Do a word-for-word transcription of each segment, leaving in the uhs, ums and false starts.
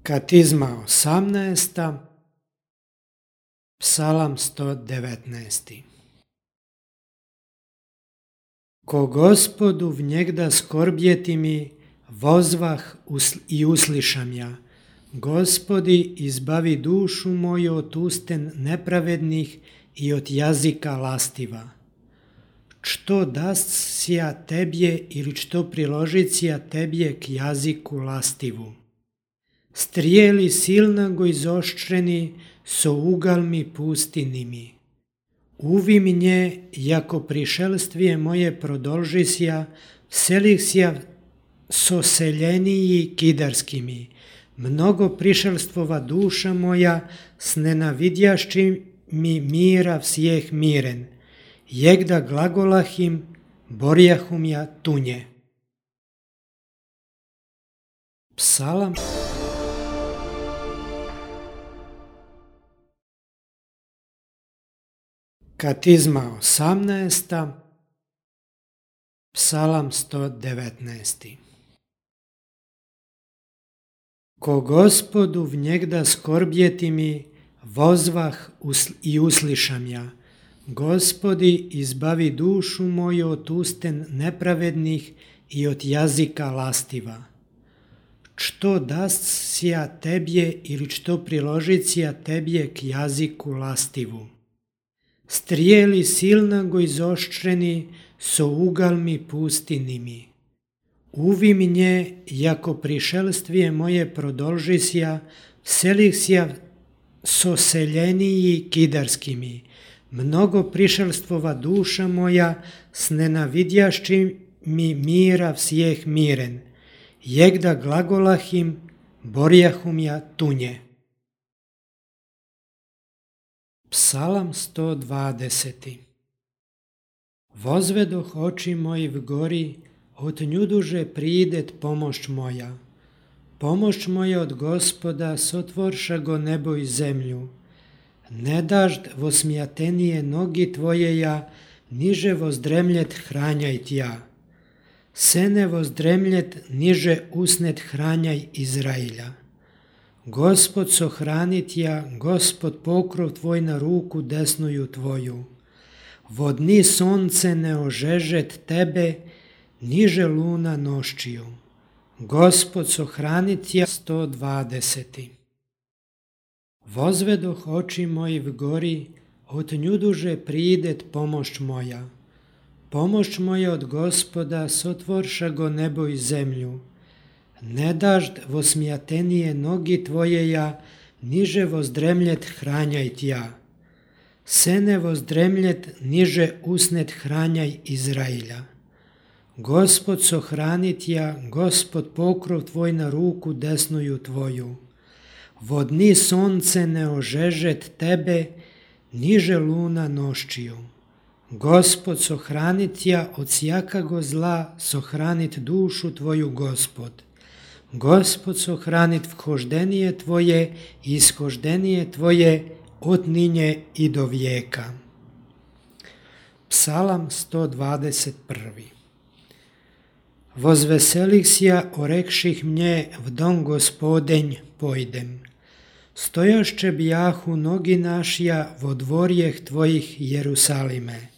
Katizma osamnaesta, Psalam sto devetnaest. Ko Gospodu vnjegda skorbjeti mi, vozvah i uslišam ja. Gospodi, izbavi dušu moju od usten nepravednih i od jazika lastiva. Što dascija tebje ili što priložicija tebje k jaziku lastivu. Strijeli silnago izoštreni so ugalmi pustinimi. Uvi mnje, jako prišelstvije moje prodolžisja, vselihsja so seljeniji kidarskimi. Mnogo prišelstvova duša moja, s nenavidjašćim mi mira vsijeh miren. Jegda glagolahim, borjahum ja tunje. Psalam Katizma osamnaesta, Psalam sto devetnaest. Ko Gospodu vnjegda skorbjeti mi, vozvah i uslišam ja. Gospodi, izbavi dušu moju od usten nepravednih i od jazika lastiva. Što dascija tebje ili što priložicija tebje k jaziku lastivu. Strijeli silnago izoštreni so ugalmi pustinimi. Uvi mnje, jako prišelstvije moje prodolžisja, vselihsja so seljeniji kidarskimi. Mnogo prišelstvova duša moja, s nenavidjašćim mi mira vsijeh miren. Jegda glagolahim, borjahum ja tunje. Psalam sto dvadeset. Vozvedoh oči moji v gori, od njuduže pridet pomoć moja. Pomoć moja od Gospoda, sotvorša go nebo i zemlju. Ne dažd vosmjatenije nogi tvoje ja, niže vozdremljet hranjaj tja. Sene vozdremljet, niže usnet hranjaj Izrailja. Gospod sohranit ja, Gospod pokrov tvoj na ruku desnuju tvoju. Vodni sonce ne ožežet tebe, niže luna noščiju. Gospod sohranit ja. sto dvadeset. Vozvedoh oči moji v gori, od njuduže pridet pomoć moja. Pomoć moja od Gospoda, sotvorša go nebo i zemlju. Ne dažd vosmjatenije nogi tvoje ja, niže vozdremljet hranjaj tja. Sene vozdremljet, niže usnet hranjaj Izrailja. Gospod sohranit ja, Gospod pokrov tvoj na ruku desnuju tvoju. Vodni sonce ne ožežet tebe, niže luna noščiju. Gospod sohranit ja, od sjakago zla sohranit dušu tvoju Gospod. Gospod sohranit vhoždenije tvoje i ishoždenije tvoje od ninje i do vijeka. Psalam sto dvadeset prvi. Vozveselihsja orekših mnje v dom Gospodenj pojdem. Stojašće bjahu nogi našja vo dvorjeh tvojih Jerusalime.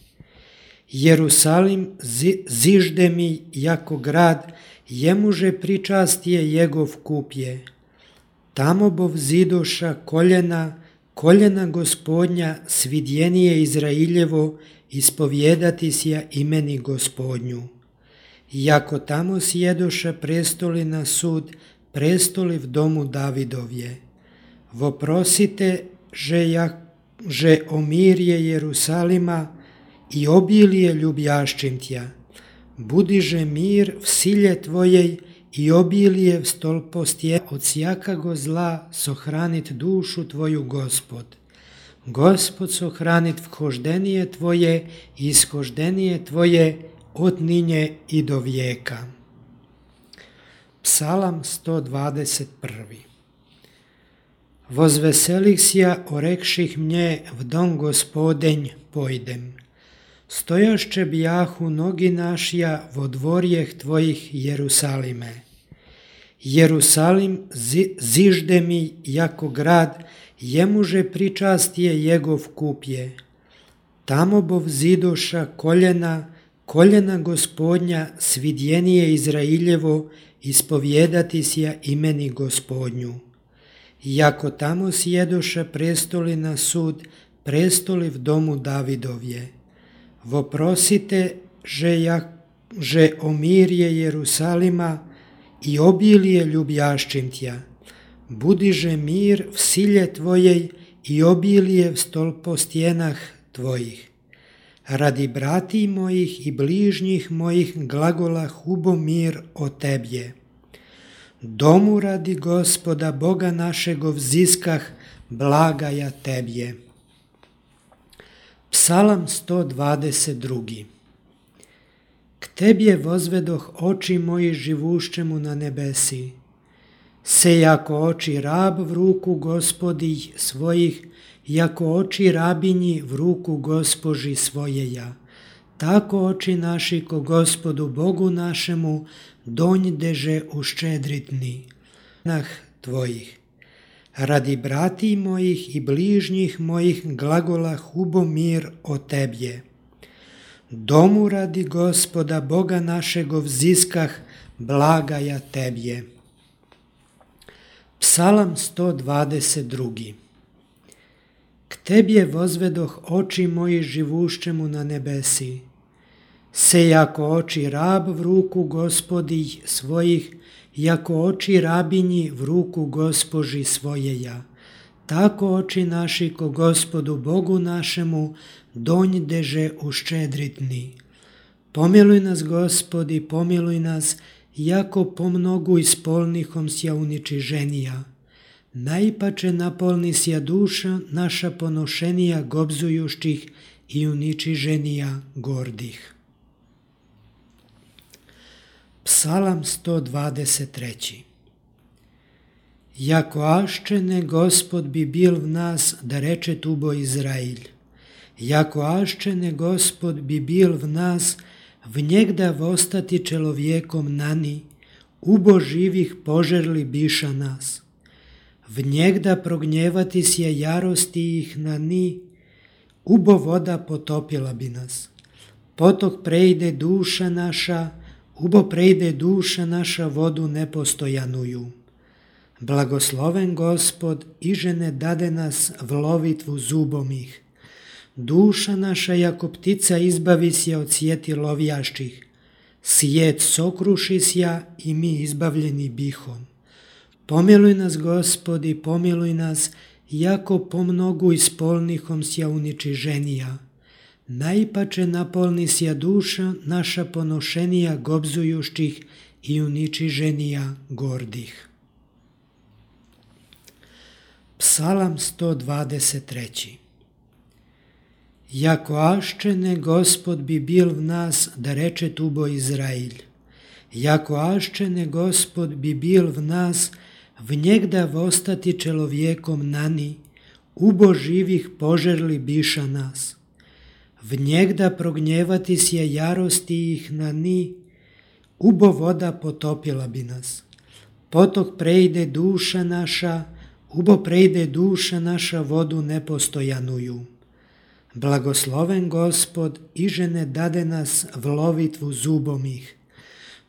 Jerusalim zižde mi jako grad, jemuže pričastije jegov kupje. Tamo bov zidoša koljena, koljena Gospodnja, svidjenije Izrailjevo, ispovjedati sja imeni Gospodnju. Jako tamo sjedoša prestoli na sud, prestoli v domu Davidovje. Voprosite, že, ja, že omirje Jerusalima i obilije ljubjašćim tja. Budiže mir v silje tvojej i obilije v stolpostje od sjakago zla sohranit dušu tvoju Gospod. Gospod sohranit vhoždenije tvoje i ishoždenije tvoje od ninje i do vijeka. Psalam sto dvadeset prvi. Vozveselihsja orekših mnje v dom Gospodenj pojdem. Stojašće bjahu nogi našja vo dvorjeh tvojih Jerusalime. Jerusalim zi, zižde mi jako grad, jemuže pričastije jegov kupje. Tamo bov zidoša koljena, koljena Gospodnja, svidjenije Izrailjevo, ispovjedati sja imeni Gospodnju. Jako tamo sjedoša prestoli na sud, prestoli v domu Davidovje. Voprosite, že, ja, že omirje Jerusalima i obilije ljubjaščim tja. Budiže mir v silje tvojej i obilije v stolpo stjenah tvojih. Radi brati mojih i bližnjih mojih glagola hubo mir o tebje. Domu radi Gospoda Boga našego vziskah, blagaja tebje. Psalam sto dvadeset drugi. K tebje vozvedoh oči moji živuščemu na nebesi. Se jako oči rab v ruku Gospodih svojih, jako oči rabinji v ruku Gospoži svojeja. Tako oči naši ko Gospodu Bogu našemu donjdeže uščedritni nah tvojih. Radi brati mojih i bližnjih mojih glagola hubo mir o tebje. Domu radi Gospoda Boga našego vziskah, blagaja tebje. Psalam sto dvadeset drugi. K tebje vozvedoh oči moji živuščemu na nebesi. Se jako oči rab v ruku Gospodih svojih, jako oči rabinji v ruku Gospoži svojeja. Tako oči naši ko Gospodu Bogu našemu donjdeže uščedritni. Pomiluj nas, Gospodi, pomiluj nas, jako pomnogu ispolnihom sja uničiženija. Najpače napolni sja duša naša ponošenija gobzujuštih i uničiženija gordih. Psalam sto dvadeset treći. Jako aščene Gospod bi bil v nas, da reče tubo Izrail. Jako aščene Gospod bi bil v nas, v njegda vostati čelovjekom nani, ubo živih požerli biša nas. V njegda prognjevati sje jarosti ih na ni, ubo voda potopila bi nas. Potok prejde duša naša, ubo prejde duša naša vodu nepostojanuju. Blagosloven Gospod, iže ne dade nas v lovitvu zubom ih. Duša naša jako ptica izbavi sja od sjeti lovjaščih. Sjet sokruši sja i mi izbavljeni bihom. Pomiluj nas, Gospodi, pomiluj nas, jako pomnogu ispolnihom sja uničiženija. Najpače napolni sja duša naša ponošenija gobzujuštih i uničiženija gordih. Psalam sto dvadeset treći. Jako aščene Gospod bi bil v nas, da reče tubo Izrail. Jako aščene Gospod bi bil v nas, v njegda vostati čelovjekom nani, ubo živih požerli biša nas. V njegda prognjevati sje jarosti ih na ni, ubo voda potopila bi nas. Potok prejde duša naša, ubo prejde duša naša vodu nepostojanuju. Blagosloven Gospod, iže ne dade nas v lovitvu zubom ih.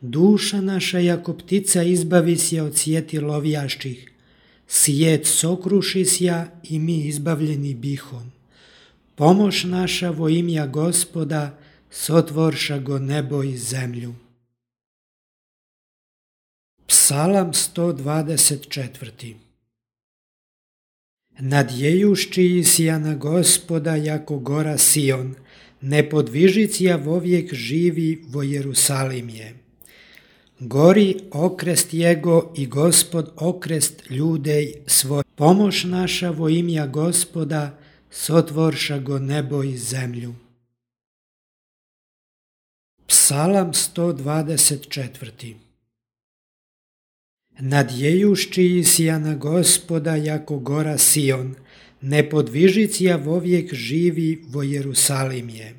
Duša naša jako ptica izbavi sja od sjeti lovjaščih. Sjet sokruši sja i mi izbavljeni bihom. Pomoć naša vo imja Gospoda, sotvorša go nebo i zemlju. Psalam sto dvadeset četvrti. Nadjejušći sja na Gospoda jako gora Sion, nepodvižicija vovijek živi vo Jerusalim je. Gori okrest jego i Gospod okrest ljudej svoj. Pomoć naša vo imja Gospoda, sotvorša go nebo i zemlju. Psalam sto dvadeset četvrti. Nadjejušći sja na Gospoda jako gora Sion, nepodvižicija vovijek živi vo Jerusalim je.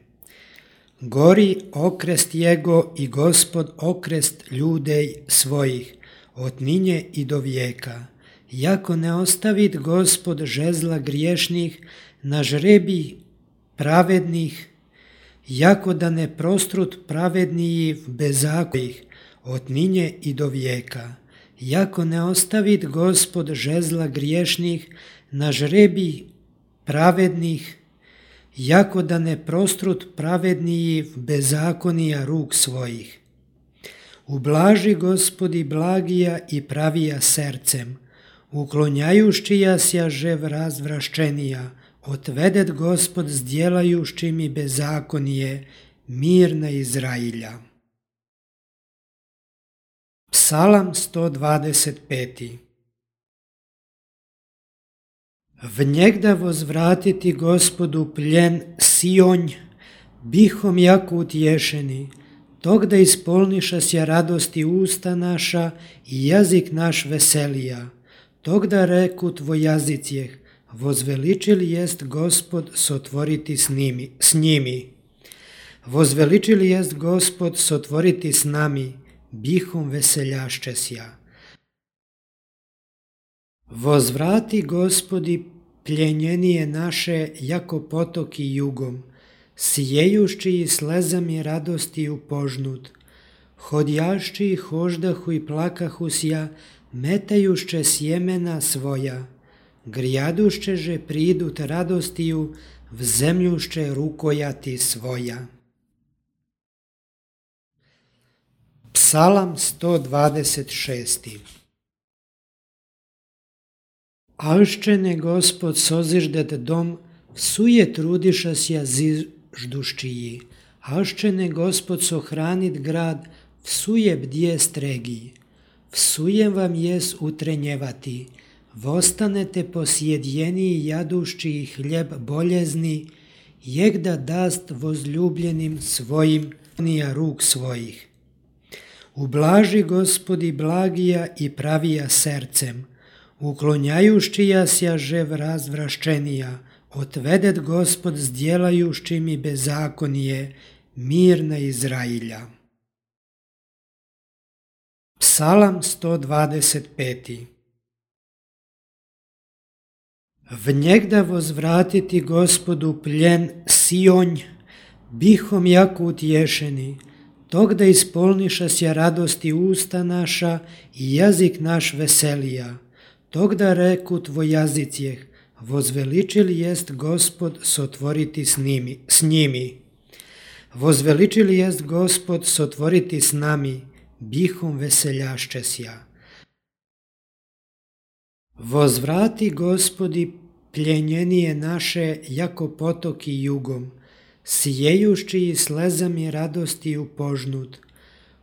Gori okrest jego i Gospod okrest ljudej svojih, od ninje i do vijeka. Jako ne ostavit Gospod žezla griješnih na žrebi pravednih, jako da ne prostrut pravedniji bezakonjih od ninje i do vijeka. Jako ne ostavit Gospod žezla griješnih na žrebi pravednih, jako da ne prostrut pravedniji bezakonija ruk svojih. Ublaži Gospodi blagija i pravija srcem, uklonjajuščija sja žev razvraščenija, otvedet Gospod zdjelajuščim i bezakonije, mir na Izrailja. Psalam sto dvadeset pet. Vnjegda vozvratiti Gospodu pljen Sionj, bihom jako utješeni, tog da ispolniša sja radosti usta naša i jazik naš veselija, tog da reku tvoj jazicijeh, vozveličil jest Gospod sotvoriti s, nimi, s njimi. Vozveličil jest Gospod sotvoriti s nami, bihom veseljašće sja. Vozvrati Gospodi pljenjenije naše jako potoki jugom, sijejušći i slezami radosti upožnut, hodjašći i hoždahu i plakahu sja, metajušće sjemena svoja, grijadušće že pridut radostiju, v zemljušće rukojati svoja. Psalam sto dvadeset šest. Alščene Gospod soziždet dom, vsuje trudiša sja zižduščiji, alščene Gospod sohranit grad, vsuje bdje stregi. Vsujem vam jes utrenjevati, vostanete posjedjeniji jadušči i hljeb boljezni, jek da dast vozljubljenim svojim nija ruk svojih. Ublaži Gospodi blagija i pravija srcem, uklonjajuščija sja žev razvraščenija, otvedet Gospod zdjelajuščim i bezakonije, mir na Izrailja. Psalam sto dvadeset pet. Vnjegda vozvratiti Gospodu pljen Sionj, bihom jako utješeni, tog da ispolniša sja radosti usta naša i jazik naš veselija, tog da reku tvoj jazicijeh, vozveličil jest Gospod sotvoriti s, nimi, s njimi. Vozveličil jest Gospod sotvoriti s nami, bihom veseljašće sja. Vozvrati Gospodi pljenjenije naše jako potoki jugom, sijejušći i slezami radosti upožnut,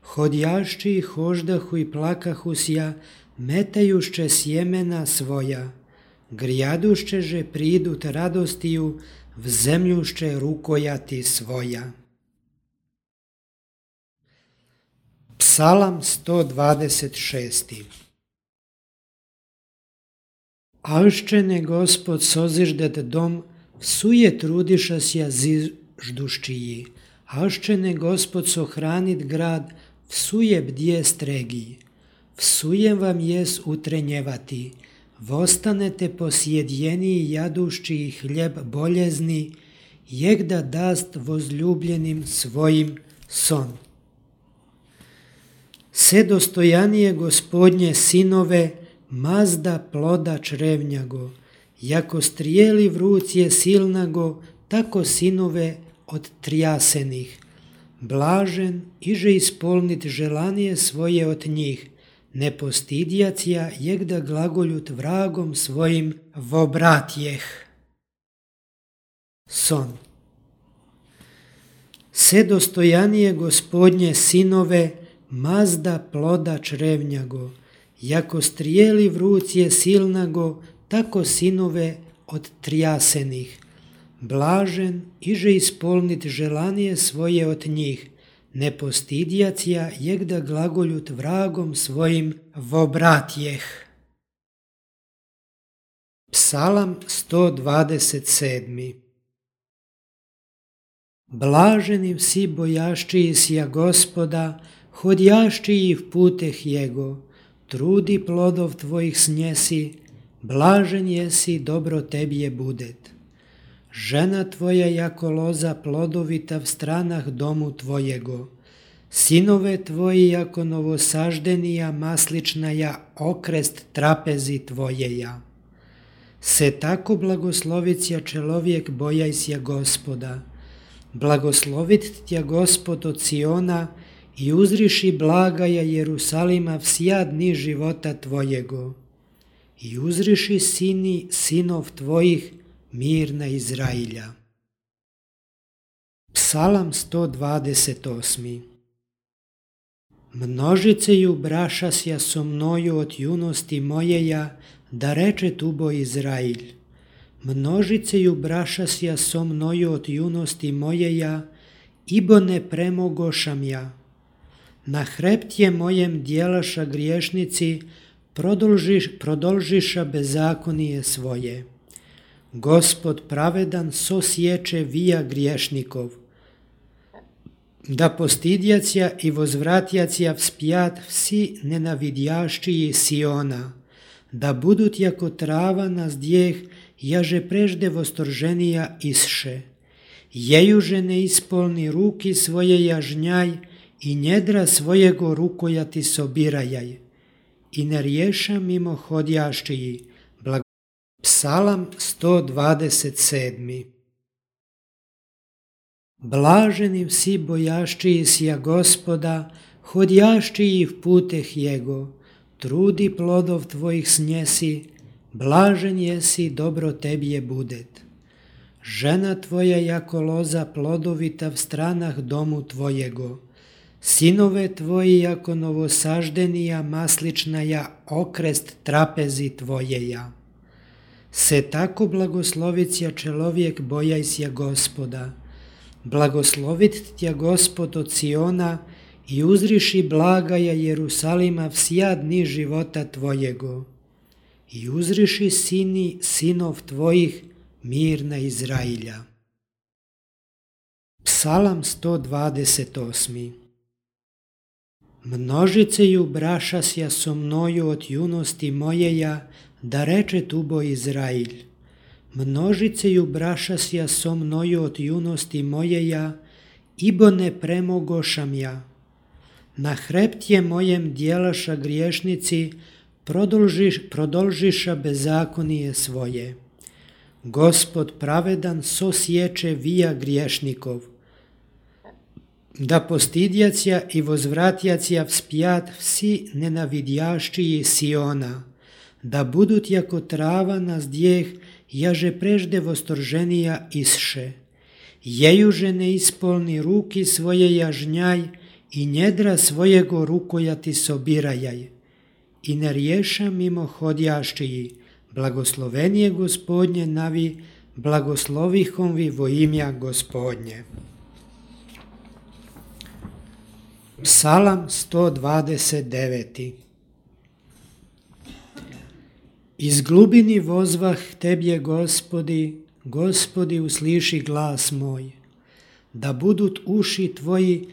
hodjašći i hoždahu i plakahu sja, metajušće sjemena svoja, grijadušće že pridut radostiju, v zemljušće rukojati svoja. Psalam sto dvadeset šest. Alščene Gospod soziždet dom, vsuje trudiša sja zižduščiji, alščene Gospod sohranit grad, vsuje bdje stregi. Vsujem vam jes utrenjevati, vostanete posjedjeniji jadušči i hljeb boljezni, jek da dast vozljubljenim svojim son. Se dostojanije Gospodnje sinove, mazda ploda črevnjago, jako strijeli v ruci silnago, tako sinove od trjasenih. Blažen iže ispolnit želanije svoje od njih, ne postidjacija jek da glagoljut vragom svojim vobratjeh. Son. Se dostojanije Gospodnje sinove, mazda ploda črevnjago, jako strijeli v ruci silnago, tako sinove od trjasenih. Blažen iže ispolnit želanije svoje od njih, ne postidjacija jek da glagoljut vragom svojim vobratjeh. Psalam sto dvadeset sedam. Blaženi vsi bojaščiji sja Gospoda, hodjaščiji v puteh Jego, trudi plodov tvojih snjesi, blažen jesi, dobro tebi je budet. Žena tvoja jako loza plodovita v stranah domu tvojego, sinove tvoji jako novosaždenija masličnaja okrest trapezi tvojeja. Se tako blagoslovit ja čelovjek bojajsja Gospoda, blagoslovit tja Gospod od Siona i uzriši blagaja Jerusalima vsja dni života tvojego. I uzriši sini sinov tvojih mirna Izrailja. Psalam sto dvadeset osmi. Množiceju brašasja so mnoju od junosti mojeja, da reče tubo Izrailj. Množiceju brašasja so mnoju od junosti mojeja, ibo ne premogošam ja. Na hreptje mojem djelaša griješnici, prodolžiš, prodolžiša bezakonije svoje. Gospod pravedan so sječe vija griješnikov, da postidjacija i vozvratjacija vspjat vsi nenavidjaščiji Siona, da budut jako trava na zdjeh, jaže prežde vostorženija isše. Jejuže ne ispolni ruki svoje jažnjaj i njedra svojego rukojati sobirajaj. I ne riješa mimo hodjaščiji. Blag... Psalam sto dvadeset sedmi. Blaženi vsi bojaščiji sja Gospoda, hodjaščiji v puteh Jego, trudi plodov tvojih snjesi, blažen jesi, dobro tebi je budet. Žena tvoja jako loza plodovita v stranah domu tvojego, sinove tvoji jako novosaždenija masličnaja okrest trapezi tvojeja. Se tako blagoslovit ja čelovjek bojajsja Gospoda, blagoslovit tja Gospod od Siona i uzriši blagaja Jerusalima vsja dni života tvojego. I uzriši sini sinov tvojih mirna Izrailja. Psalam sto dvadeset osmi. Množiceju brašasja so mnoju od junosti mojeja, da reče tubo Izrailj. Množiceju brašasja so mnoju od junosti mojeja, ibo ne premogošam ja. Na hreptje mojem djelaša griješnici, prodolžiš, prodolžiša bezakonije svoje. Gospod pravedan so sječe vija griješnikov, da postidjacija i vozvratjacija vspjat vsi nenavidjaščiji Siona, da budut jako trava na zdjeh, jaže prežde vostorženija isše. Jejuže ne ispolni ruki svoje jažnjaj i njedra svojego rukojati sobirajaj. I ne riješa mimo hodjaščiji, blagoslovenije Gospodnje navi, blagoslovihom vi vo imja Gospodnje. Psalam sto dvadeset deveti. Iz glubini vozvah tebje Gospodi, Gospodi usliši glas moj, da budut uši tvoji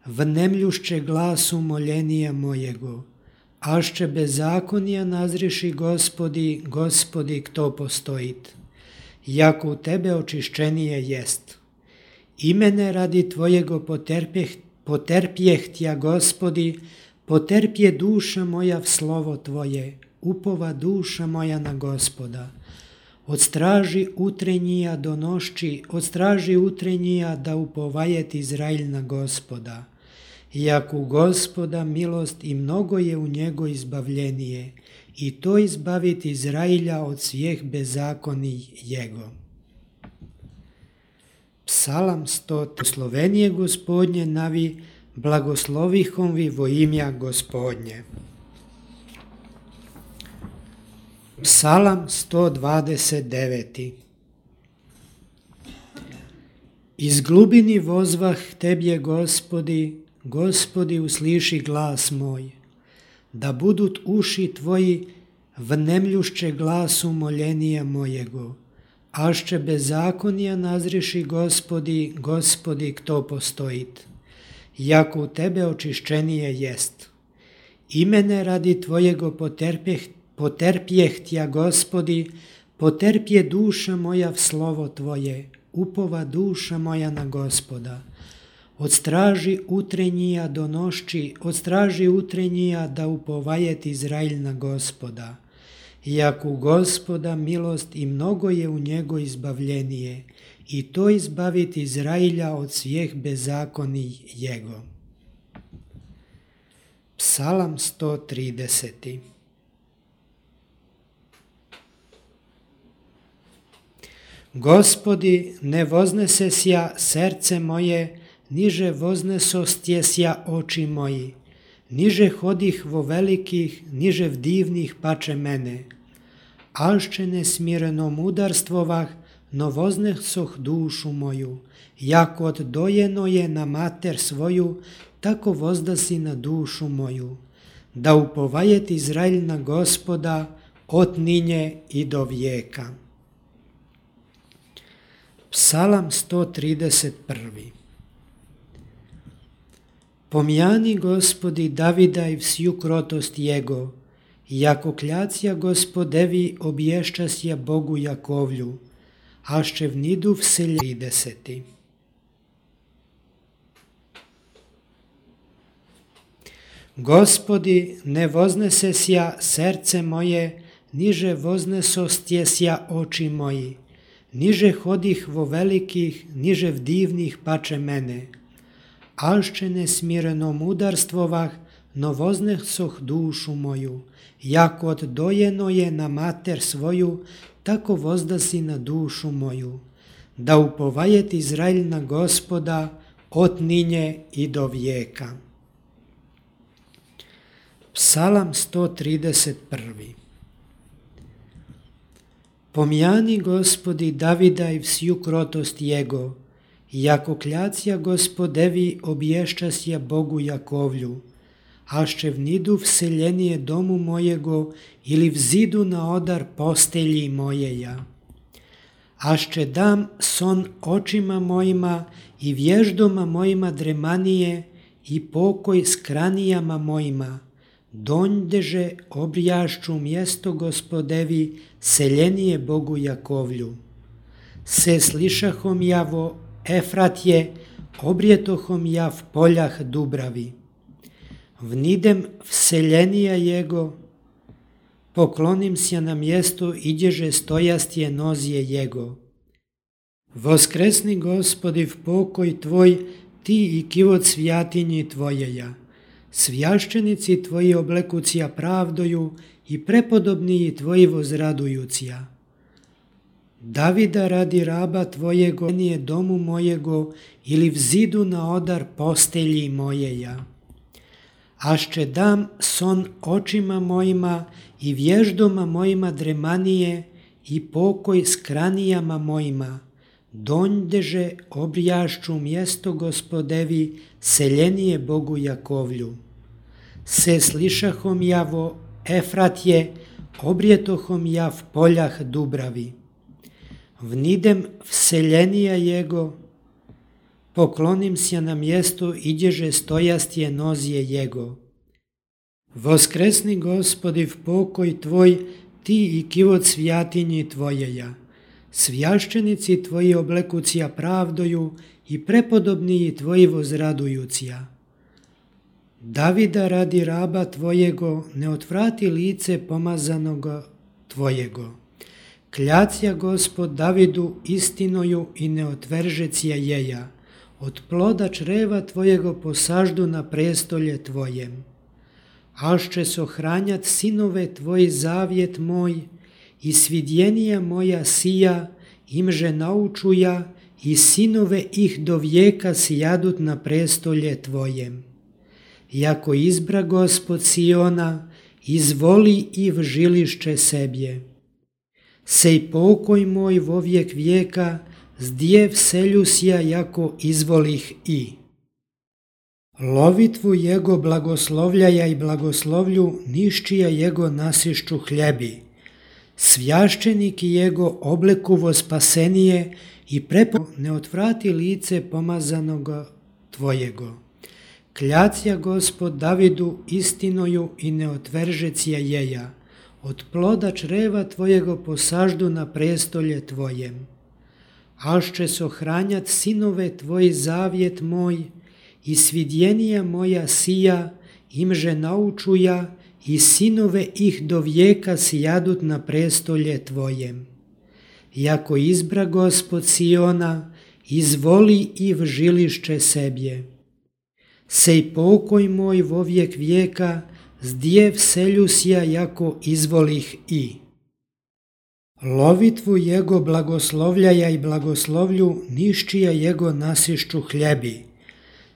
vnemljušće glasu moljenija mojego, ašće bezakonija nazriši Gospodi, Gospodi kto postojit, jako u tebe očišćenije jest. Imene radi tvojego poterpjeh, poterpjeh tja Gospodi, poterpje duša moja v slovo tvoje, upova duša moja na Gospoda. Od straži utrenjija do nošći, od straži utrenjija da upovajet Izrailj na Gospoda. Jako u Gospoda milost i mnogo je u njego izbavljenije, i to izbavit Izrailja od svijeh bezakoni jego. Psalam sto. Slovenije Gospodnje navi, blagoslovihom vi vo imja Gospodnje. Psalam sto dvadeset deveti. Iz glubini vozvah tebje Gospodi, Gospodi usliši glas moj, da budut uši tvoji vnemljušće glasu moljenija mojego, ašće bezakonija nazriši Gospodi, Gospodi kto postojit, jako u tebe očišćenije jest. I mene radi tvojego poterpjeh, poterpjeh tja, Gospodi, poterpje duša moja v slovo tvoje, upova duša moja na Gospoda. Od straži utrenjija do nošči, od straži utrenjija da upovajet Izrail na Gospoda. Jak u Gospoda milost i mnogo je u njego izbavljenije, i to izbavit Izrailja od svijeh bezakoni jego. Psalam sto trideset. Gospodi, ne voznesesja srce moje, niže voznesostjesja oči moji, niže hodih vo velikih, niže v divnih pače mene. Alšće nesmirenom udarstvovah, no voznesoh dušu moju, jako od dojeno je na mater svoju, tako vozdasi na dušu moju, da upovajet Izrail na Gospoda od ninje i do vijeka. Psalam sto trideset jedan. Pomjani, Gospodi, Davida i vsju krotost jego, jako kljacija Gospodevi obješčasja Bogu Jakovlju, ašće vnidu vselje. trideset. Gospodi, ne voznesesja srce moje, niže voznesostjesja oči moji, niže hodih vo velikih, niže v divnih pače mene. Alšće nesmirenom udarstvovah, no voznesoh dušu moju, jako od dojeno je na mater svoju, tako vozdasi na dušu moju, da upovajet Izrail na Gospoda od ninje i do vijeka. Psalam sto trideset jedan. Pomjani, Gospodi, Davida i vsju krotost jego, jako kljacija Gospodevi obješčasja Bogu Jakovlju, ašće vnidu vseljenije domu mojego ili vzidu na odar postelji mojeja. Ašće dam son očima mojima i vježdoma mojima dremanije i pokoj s kranijama mojima, donjdeže obrijašću mjesto Gospodevi seljenije Bogu Jakovlju. Se slišahom ja vo Efratje, obrijetohom ja v poljah Dubravi. Vnidem vseljenija jego, poklonim se na mjesto idježe stojastje nozije jego. Voskresni, Gospodi, v pokoj tvoj, ti i kivot svjatinji tvojeja. Svjašćenici tvoji oblekucija pravdoju i prepodobniji tvoji vozradujucija. Davida radi raba tvojego, nije domu mojego ili vzidu na odar postelji mojeja. Ašće dam son očima mojima i vježdoma mojima dremanije i pokoj s kranijama mojima, donjdeže obrijašću mjesto Gospodevi seljenije Bogu Jakovlju. Se slišahom ja vo Efratje, obrijetohom ja v poljah Dubravi. Vnidem vseljenija jego, poklonim se na mjesto idježe stojastje nozije jego. Voskresni, Gospodi, v pokoj tvoj, ti i kivot svjatinji tvojeja. Svjašćenici tvoji oblekucija pravdoju i prepodobniji tvoji vozradujucija. Davida radi raba tvojego, ne otvrati lice pomazanoga tvojego. Kljacija Gospod Davidu istinoju i ne otveržecija jeja. Od ploda čreva tvojego posaždu na prestolje tvojem. Ašće sohranjat sinove tvoj zavjet moj i svidjenija moja sija, imže naučuja i sinove ih do vijeka sjadut na prestolje tvojem. Jako izbra Gospod Siona, izvoli i v žilišće sebje. Sej pokoj moj vo vijek vijeka, zdje vseljusja jako izvolih i. Lovitvu jego blagoslovljaja i blagoslovlju niščija jego nasišću hljebi. Svjašćeniki jego oblekuvo spasenije i prepo ne otvrati lice pomazanoga tvojego. Kljacija Gospod Davidu istinoju i ne otveržecija jeja, od ploda čreva tvojego posaždu na prestolje tvojem. Ašće sohranjat sinove tvoj zavjet moj, i svidjenija moja sija, imže naučuja, i sinove ih do vijeka sjadut na prestolje tvojem. Jako izbra Gospod Siona, izvoli i v žilišće sebje. Sej pokoj moj vovijek vijeka, zdje vseljusja jako izvolih i. Lovitvu jego blagoslovljaja i blagoslovlju niščija jego nasišću hljebi.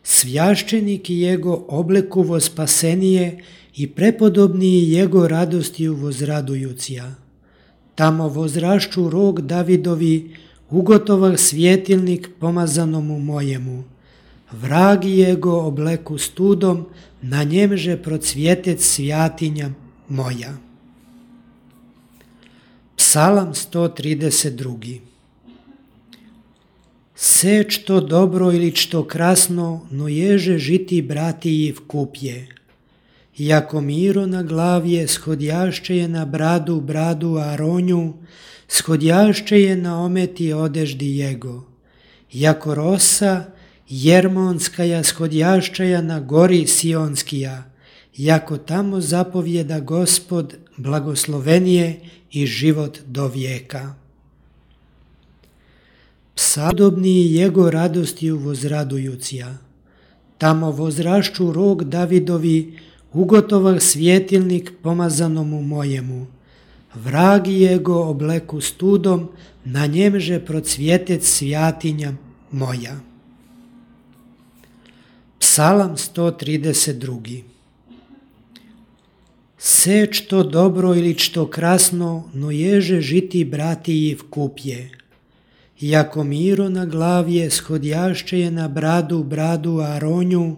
Svjašćeniki jego oblekuvo spasenije i prepodobniji jego radostiju vozradujucija. Tamo vozrašću rog Davidovi, ugotovah svjetilnik pomazanomu mojemu. Vragi jego obleku studom, na njemže procvjetec svjatinja moja. Psalam sto trideset dva. Se što dobro ili što krasno, no ježe žiti bratiji v kupje. Jako miro na glavje, shodjašće je na bradu bradu Aronju, shodjašće je na ometi odeždi jego. Jako rosa, jermonskaja shodjašćaja na gori Sionskija, jako tamo zapovjeda Gospod, blagoslovenije i život do vijeka. Psalmodobniji jego radostiju vozradujucija. Tamo vozrašću rog Davidovi, ugotovah svjetilnik pomazanomu mojemu. Vragi jego obleku studom, na njemže procvjetec svjatinja moja. Psalam sto trideset dva. Se što dobro ili što krasno, no ježe žiti bratiji v kupje. Jako miro na glavje, shodjašće je na bradu bradu Aronju,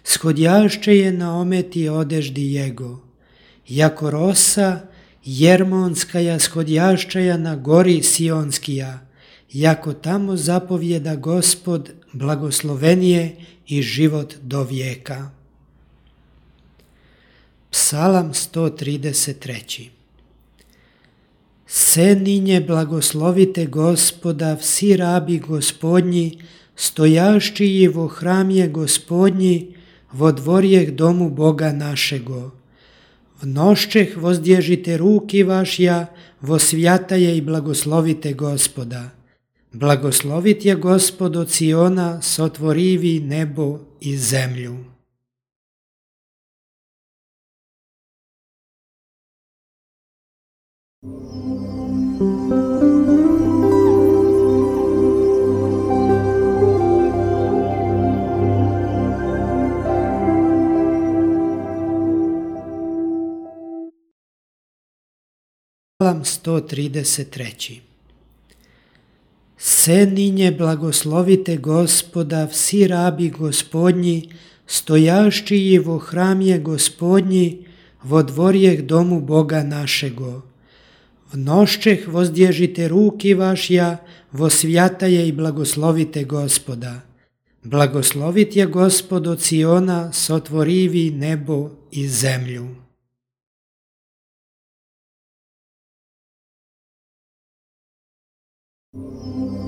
shodjašće je na ometi odeždi jego. Jako rosa, jermonskaja shodjašćaja na gori Sionskija, jako tamo zapovjeda Gospod, blagoslovenije i život do vijeka. Psalam sto trideset tri. Se ninje blagoslovite Gospoda, vsi rabi Gospodnji, stojaščiji vo hramje Gospodnji, vo dvorjeh domu Boga našego. V noščeh vozdježite ruki vašja, vo svjataje i blagoslovite Gospoda. Blagoslovit je Gospod od Siona, sotvorivi nebo i zemlju. Psalam sto trideset tri. Se ninje blagoslovite Gospoda, vsi rabi Gospodnji, stojaščiji vo hramje Gospodnji, vo dvorjeh domu Boga našego. V noščeh vozdježite ruki vašja, vo svjataje i blagoslovite Gospoda. Blagoslovit je Gospod od Siona, sotvorivi nebo i zemlju. Thank you.